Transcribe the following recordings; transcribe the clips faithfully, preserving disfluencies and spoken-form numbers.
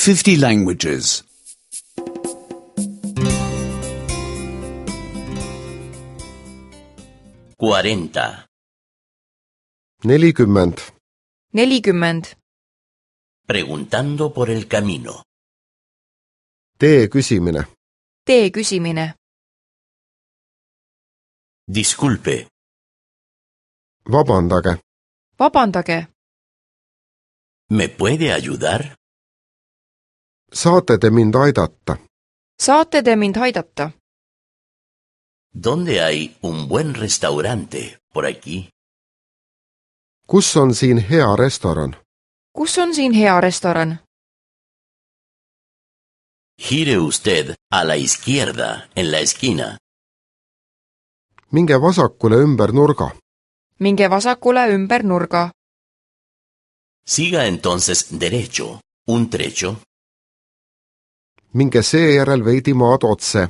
fifty languages. cuarenta. nelikümmend. nelikümmend. Preguntando por el camino. Tee küsimine. Tee küsimine. Disculpe, Vabandage. Vabandage. ¿me puede ayudar? Saate te mind aidata? Saate te mind aidata? ¿Dónde hay un buen restaurante por aquí? Kus on siin hea restoran? Kus on siin hea restoran? Gire usted a la izquierda en la esquina. Minge vasakule ümber nurga. Minge vasakule ümber nurga. Siga entonces derecho, un trecho. Minge seejärel veidi maad otse.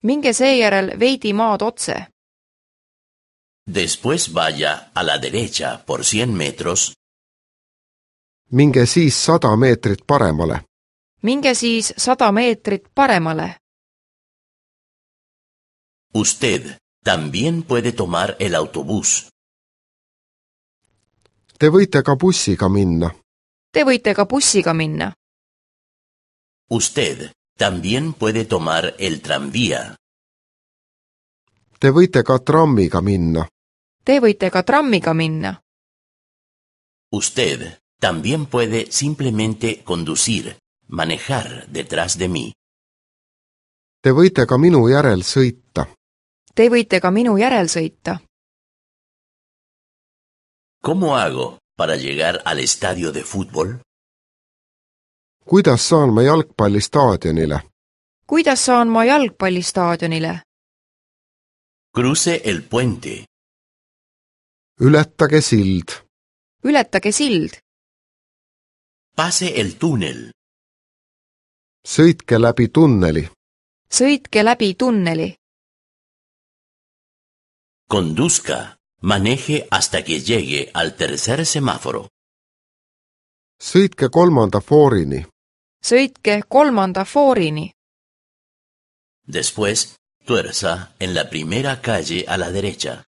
Minge seejärel veidi maad otse. Después vaya a la derecha por cien metros. Minge siis sada meetrit paremale. Minge siis sada meetrit paremale. Usted también puede tomar el autobús. Te võite ka bussiga minna. Te võite ka bussiga minna. Usted también puede tomar el tranvía. Te võite ka trammiga minna. Te võite ka trammiga minna. Usted también puede simplemente conducir, manejar detrás de mí. Te võite ka minu järel sõita. Te võite ka minu järel sõita. ¿Cómo hago para llegar al estadio de fútbol? Kuidas saan ma jalgpallistaadionile? Kuidas saan ma jalgpallistaadionile? Cruce el puente. Ületage sild. Ületage sild. Pase el túnel. Sõitke läbi tunneli. Sõitke läbi tunneli. Conduzca. Maneje hasta que llegue al tercer semáforo. Sõitke kolmanda foorini. Sõitke kolmanda foorini. Después, tuerza en la primera calle a la derecha.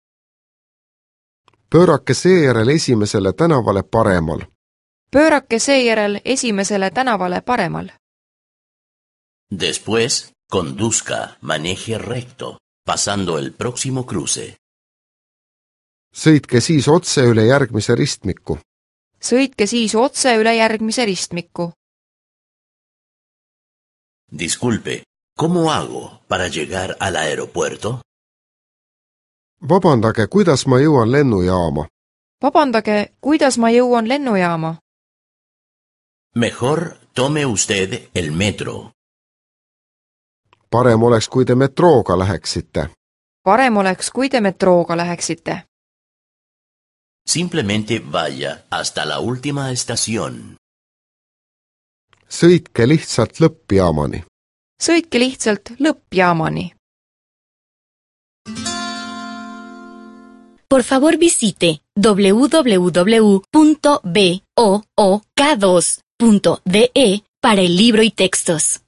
Pöörake seejärel esimesele tänavale paremal. Pöörake seejärel esimesele tänavale paremal. Después, conduzca, maneje recto, pasando el próximo cruce. Sõitke siis otse üle järgmise ristmiku. Sõitke siis otse üle järgmise ristmiku. Disculpe, ¿cómo hago para llegar al aeropuerto? Vabandage, kuidas ma jõuan lennujaama? Vabandage, kuidas ma jõuan lennujaama? Mejor tome usted el metro. Parem oleks, kui te metrooga läheksite. Parem oleks, kui te metrooga läheksite. Simplemente vaya hasta la última estación. Sõitke lihtsalt lõppjaamani. Sõitke lihtsalt lõppjaamani. Por favor visite doble u doble u doble u punto book dos punto de para el libro y textos.